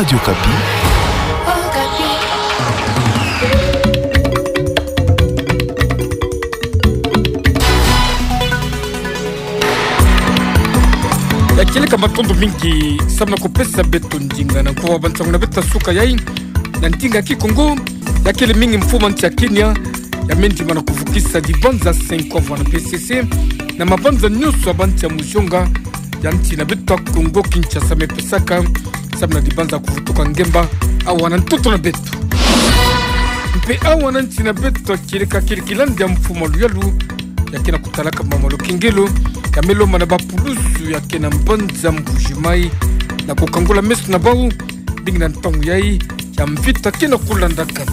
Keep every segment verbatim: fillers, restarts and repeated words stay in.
Radio Okapi. Ya kieleka matondo mingi samu na kupesa beto ndinga na nkuwa bansangu na beto ya suka yayi na ndinga Kikongo. Ya kele mingi mfumu a nsi ya Kenya ya me ndima na kuvukisa dibanza cinq ans vwena P C C na mabanza nyonso ya bansi ya muzonga ya nsi na beto ya Kongo Kinshasa me pesaka samu na dibanza kuvutuka ngemba awa na ntoto na beto. Mpe awa na nsi na beto ya kieleka, kieleka kilandi ya mfumu a luyalu ya ke na kutalaka mama lukengelo ya me lomba na bapulusu ya ke na mbanza Mbuji-Mayi na kukangula meso na bau, mbingi na ntangu yayi ya mvita ke na kulandaka.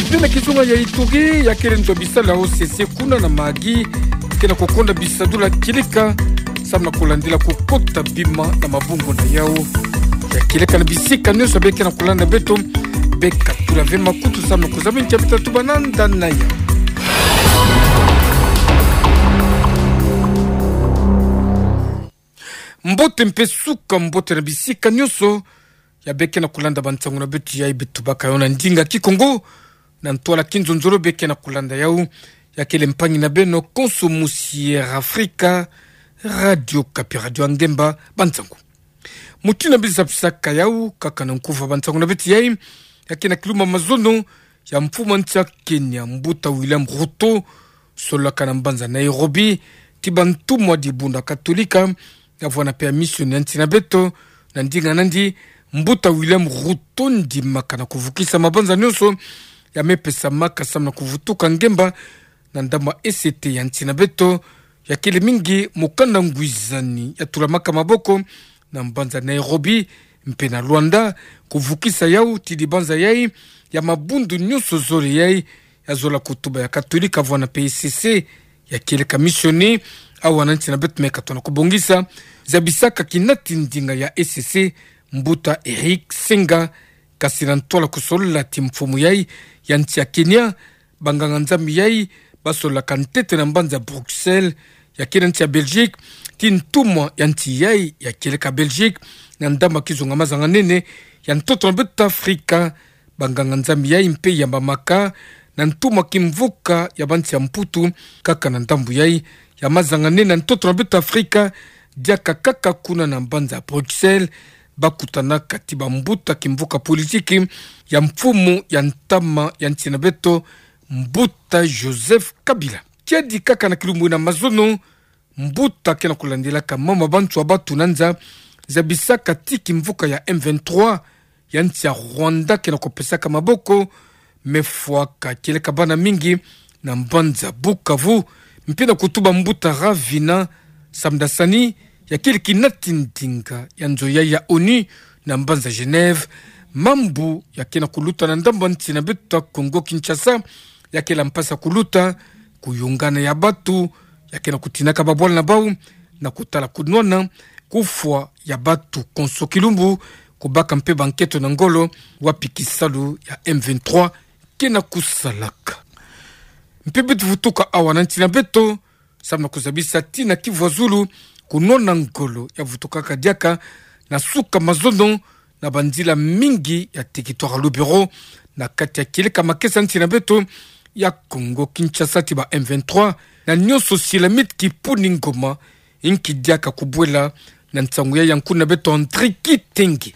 Mpe na kizunga ya Ituri, ya kele nzo ya bisalu ya O C C kuna na Mahagi ke na kukonda bisadulu ya kieleka samu na kulandila kukota bima na mabungu na yau. Ya kieleka na bisika nyonso, beka ke na kulanda beto, beka tula ve makutu samu na kuzaba ntia beta tuba nanda na yau. Mbote mpe suka mbote na bisika nyonso ya beka ke na kulanda bansangu na beto yayi, beto baka yo na ndinga Kikongo na ntwala kinzonzolo, beka ke na kulanda yau. Ya kele mpangi na beno Konso Musi Air Afrika, Radio Okapi, radio ya ngemba. Bansangu mutindu beno zabisaka yau, kaka na nkufa bansangu na beto yayi, ya ke na kilumbu ya mazono ya mfumu a nsi ya Kenya, mbuta William Ruto, solaka na mbanza Nairobi, ti bantumwa dibundu ya Katolika, ya vwena mpe ya misioni ya nsi na beto. Na ndinga nandi, mbuta William Ruto ndimaka na kuvukisa mabanza nyonso ya me pesamaka samu na kuvutuka ngemba na ndambu ya E C T ya nsi na beto. Ya kele mingi mokanda ngwizani ya tulamaka maboko na mbanza Nairobi mpe na Luanda, kuvukisa yau ti dibanza yayi ya mabundu nyonso zole yayi ya zola kutuba ya Katolika vwena mpe E C C, ya kieleka misioni awa na nsi na beto. Me katona kubongisa zabisaka kinati ndinga ya E C C, mbuta Eric Senga, kasi na ntwala kusolola ti mfumu yayi ya nsi ya Kenya, banganga-Nzambi yayi basolaka ntete na mbanza Bruxelles, ya kele nsi ya Belgique, ti ntumwa ya nsi yayi ya kieleka Belgique na ndambu ya kizunga mazanganene ya ntoto na beto Afrika. Banganga-Nzambi yayi mpe yambamaka na ntumwa kimvuka ya bansi ya Mputu, kaka na ndambu yayi ya mazanganene na ntoto na beto Afrika, diaka kaka kuna na mbanza Bruxelles, bakutanaka ti bambuta kimvuka politiki ya mfumu ya ntama ya nsi na beto, mbuta Joseph Kabila. Kiadi kaka na kilumbu ina mazono, mbuta ke na kulandilaka mama bantu ya batunanza zabisaka ti kimvuka ya M vingt-trois ya nsi ya Rwanda ke na kupesaka maboko, me fwaka kieleka bana mingi na mbanza Bukavu, mpe na kutuba mbuta Ravina Shamdasani, ya kele kinati ndinga ya nzo yayi ya ONU na mbanza Genève, mambu ya ke na kuluta na ndambu ya nsi na beto ya Kongo Kinshasa, ya kele mpasi ya kuluta kuyungana ya batu, ya ke na kutinaka babwala na bau na kutala kunwana kufwa ya batu konso kilumbu, kubaka mpe banketo na ngolo wapi kisalu ya M vingt-trois ke na kusalaka. Mpe beto vutuka awa na nsi na beto samu na kuzabisa tii na Kivu ya Zulu, kunwana ngolo ya vutukaka diaka na suka mazono na banzila mingi ya territoire ya Lubero, na kati ya kieleka makesa nsi na beto ya Kongo Kinshasa ti ba M vingt-trois, na nyonso Silamite Kipuni Ngoma inki diaka kubwela na nsangu yayi ya nkuna beto André Kitenge.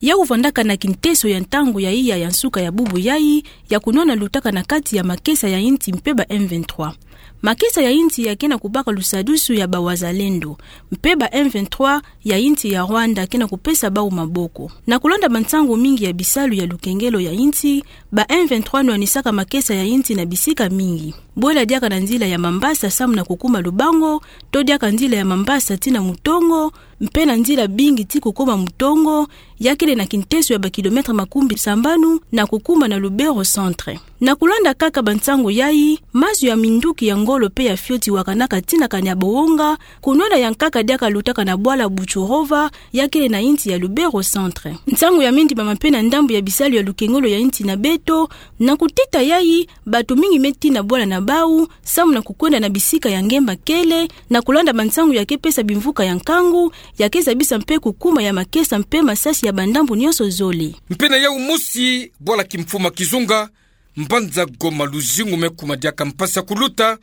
Ya uvandaka na kinteso ya ntangu ya iya ya nsuka ya bubu yayi, ya kunwana lutaka na kati ya makesa ya insi mpe ba M vingt-trois. Makesa ya insi ya ke na kubaka lusadusu ya ba wazalendo, mpe ba M vingt-trois ya insi ya Rwanda ke na kupesa bau maboko. Na kulanda bansangu mingi ya bisalu ya lukengelo ya insi, ba M vingt-trois nwanisaka makesa ya insi na bisika mingi. Bwela diaka na nzila ya Mambasa samu na kukuma Lubango, to diaka nzila ya Mambasa tii na Mutongo, mpe na nzila bingi tii kukuma Mutongo, ya kele na kinteso ya ba kilomètre makumbi sambanu na kukuma na Lubero Centre. Na kulanda kaka bansangu yayi, mazu ya minduki ya ngolo mpe ya fioti wakanaka tii na Kanyabohonga, kunwana ya nkaka diaka lutaka na bwala Butshurova, ya kele na insi ya Lubero Centre. Nsangu ya me ndimama mpe na ndambu ya bisalu ya lukengelo ya insi na beto, na kutita yayi, batu mingi me tii na bwala na bau, samu na kukwenda na bisika ya ngemba kele, na kulanda bansangu ya kepesa bimvuka ya nkangu, ya kezabisa mpe kukuma ya makesa mpe masasi ya bandambu nyonso zole. Mpe na yau mosi, bwala kimfumu ya kizunga, mbanza Goma luzingu me kuma diaka mpasi ya kuluta,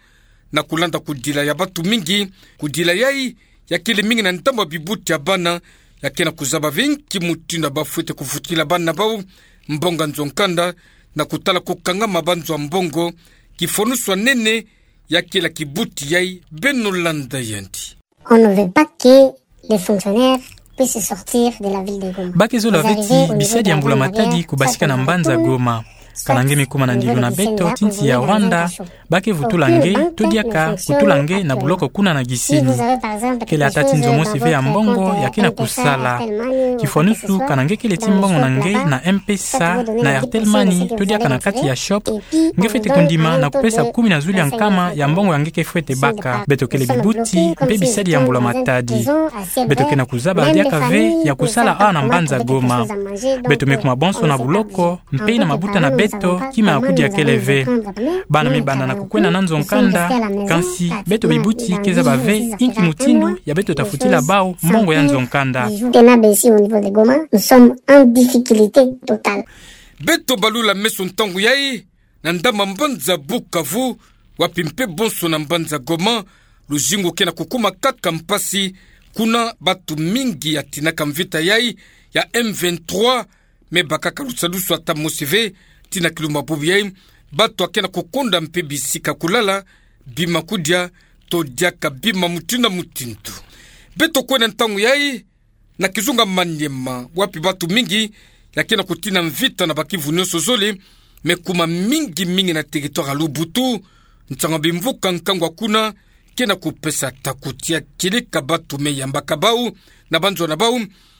na kulanda kudila ya bantu mingi, kudila yai, ya kele mingi na ndambu ya bibuti ya bana, ya ke na kuzaba ve nki mutindu ba fwete kufutila bana bau mbongo ya nzo ya nkanda, na kutala kukangama ba nzo ya mbongo, kifwanusu ya nene, ya kele kibuti yai, beno landa yandi. On ne veut pas que les fonctionnaires puissent sortir de la ville de Goma. Ba ke zola ve ti bisadi ya mbula matadi kubasika na mbanza Goma. Kana nge me kuma na ndilu na beto ti nsi ya Rwanda, ba ke vutula nge, to diaka kutula nge na buloko kuna na Gisenyi. Kele ata ti nzo mosi ve ya mbongo ya ke na kusala. Kifwanusu kana nge kele ti mbongo na nge na M-Pesa, na Airtel Money, to diaka na kati ya shop, nge fwete kundima na kupesa kumi na zulu ya nkama ya mbongo ya nge ke fwete baka. Beto kele bibuti mpe bisadi ya mbula matadi. Beto ke na kuzaba diaka ve ya kusala awa na mbanza Goma. Beto me kuma bonso na buloko, mpe na mabuta na beto, kima ya kudia kele ve. Bana me banda na kukwenda na nzo ya nkanda, kansi beto bibuti ke zaba ve inki mutindu ya beto ta futila bau mbongo ya nzo ya nkanda. Beto balula meso ntangu yai, na ndambu ya mbanza Bukavu, wapi mpe bonso na mbanza Goma, luzingu ke na kukuma kaka mpasi, kuna bantu mingi ya tinaka mvita yai ya M vingt-trois, me bakaka lusadusu ata mosi ve, ti na kilumbu bubu yai, bantu ya ke na kukonda mpe bisika kulala, bima kudia, to diaka bima mutindu na mutindu. Beto kwenda ntangu yai, na kizunga Maniema, wapi bantu mingi ya ke na kutina mvita na bakivu nyonso zole, me kuma mingi mingi na territoire ya Lubutu, nsangu ya bimvuka nkangu ya kuna ke na kupesa takuti ya kieleka bantu me yambaka bau na banzo na bau,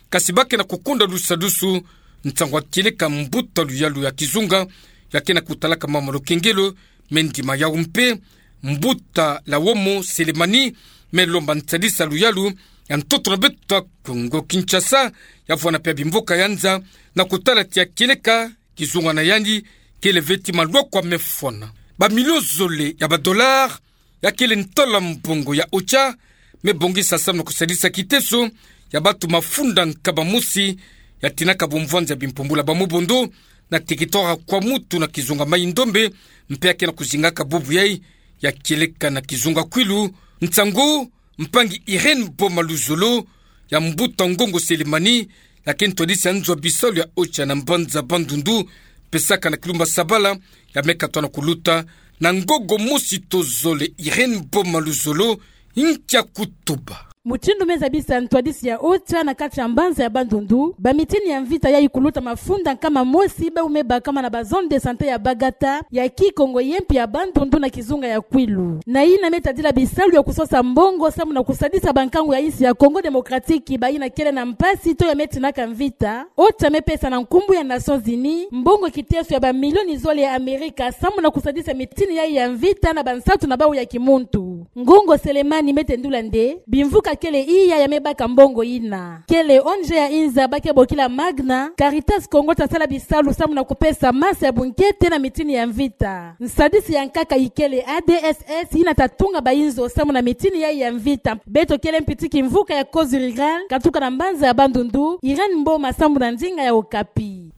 kansi ba ke na kukonda lusadusu, nsangu ya kieleka mbuta luyalu ya kizunga ya ke na kutalaka mama Lukengelo, me ndima yau mpe, mbuta Lawomo Selemani, me lomba nsadisi ya luyalu ya ntoto na beto ya Kongo Kinshasa, ya vwanda mpe ya bimvuka ya nza, na kutala ti ya kieleka kizunga na yandi kele ve ti malwakwa me fwana. Ba millions zole ya ba dollars, ya kele ntwala mbongo ya OCHA, me bongisa samu na kusadisa kiteso ya bantu mafunda nkaba mosi, ya tinaka bumvwanza bimpumbula ba mubondo, na territoire ya Kwamutu na kizunga Maï-Ndombe, mpe ya ke na kuzingaka bubu yai, ya kieleka na kizunga Kwilu, nsangu mpangi Irène Boma Luzolo, ya mbuta Ngongo Selemani, ya ke ntwadisi ya nzo ya bisalu ya OCHA na mbanza Bandundu, pesaka na kilumbu ya sabala, ya me katwa na kuluta, na ngongo mosi to zole. Irène Boma Luzolo, nkia kutuba. Mutindu me zabisa ntwadisi ya OCHA na kati ya mbanza ya Bandundu, ba mitini ya mvita yai kuluta mafunda nkama mosi bau me bakama na ba zone de santé ya Bagata, ya Kikongo ye mpe ya Bandundu na kizunga ya Kwilu. Na yina me tadila bisalu ya kusosa mbongo samu na kusadisa bankangu ya insi ya Congo Démocratique, ba yina kele na mpasi to ya me tinaka mvita, OCHA me pesa na nkumbu ya Nations Unies mbongo kiteso ya ba milioni zole ya Amerika samu na kusadisa mitini yai ya mvita na bansatu na bau ya kimuntu. Ngongo Selemani me tendula nde bimvuka kele iya ya me baka mbongo yina. Kele O N G ya inza ba ke bokila Magna, Caritas Congo ta sala bisalu samu na kupesa masa ya bunkete na mitini ya mvita. Nsadisi ya nkaka ikele A D S S yina ta tunga ba inzo samu na mitini yai ya mvita. Beto kele mpi ti kimvuka ya Cause Rurale, katuka na mbanza ya Bandundu, Irène Mboma samu na ndinga ya Okapi.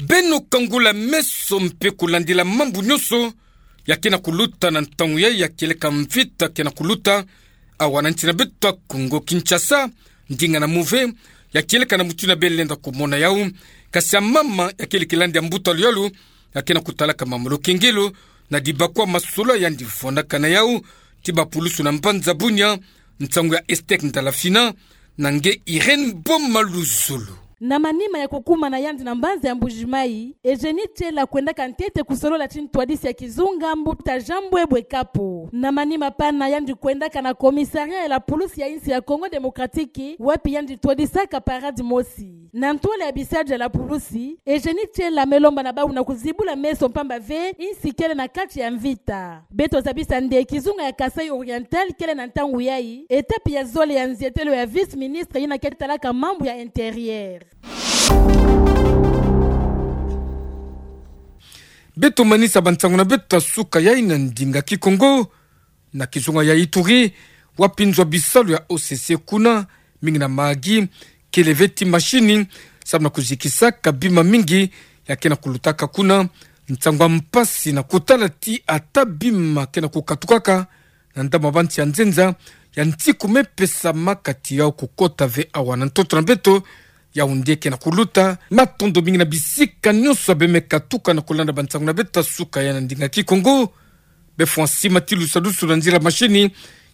Beno kangula meso mpe kulandila mambu nyonso ya ke na kuluta na ntangu yai ya kieleka mvita ke na kuluta awa na nsi na beto ya Congo Kinshasa, ndinga na muve ya kieleka na mutindu ya beno lenda kumona yau, kansi ya mama ya kele kilandi ya mbuta luyalu ya ke na kutalaka mama Lukengelo, na dibakwa masolo yandi vwandaka na yau, ti ba pulusu na mbanza Bunia, nsangu ya Esther Ndalafina, na nge Irène Boma Luzolo. Na manima ya kukuma na yandi na mbanza ya Mbuji-Mayi, Eugénie Tshela kwendaka ntete kusolola ti ntwadisi ya kizunga mbuta Jean Mbwebwe Kapo. Na manima pana yandi kwendaka na commissariat ya la pulusi ya insi ya Congo Démocratique, wapi yandi twadisaka parade mosi. Na ntwala ya bisalu ya la pulusi, Eugénie Tshela me lomba na bau na kuzibula meso mpamba ve insi kele na kati ya mvita. Beto zabisa nde kizunga ya Kasaï Oriental kele na ntangu yai étape ya zole ya nzietelo ya vice-ministre yina ke talaka mambu ya intérieur. Beto manisa bansango na beto ya suka yayi na ndinga Kikongo. Na kizunga ya Ituri, wapi nzwa bisalu ya O C C kuna, mingi na Mahagi, kele ve ti mashini, samu na kuzikisaka bima mingi ya ke na kulutaka kuna. Nsangu ya mpasi na kutala ti ata bima ke na kukatukaka na ndambu ya bansi ya nzenza, ya nsiku me pesa ma kati yau kukota ve awa na ntoto na beto. Yau nde ke na kuluta. Matondo mingi na bisika nyonso ya bemeka tuka na kulanda bansango na beto ya suka yayi na ndinga Kikongo. Befwani sima ti lusadusu na nzila mashini,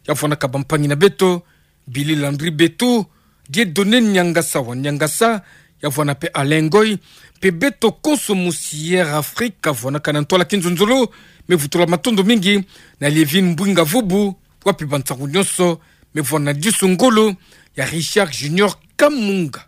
ya vwanaka bampangi na beto, Billy Landry Beto, Dieudonné Niangasa wa Niangasa, ya vwana pe Alain Ngoy, pe beto konso musi Air Afrique, ya vwanaka na ntwala kinzonzolo. Me vutula matondo mingi na Lievine Mbwinga Vubu, wapi bansango nyonso, me vwana disu ngolo ya Richard Junior Kamunga.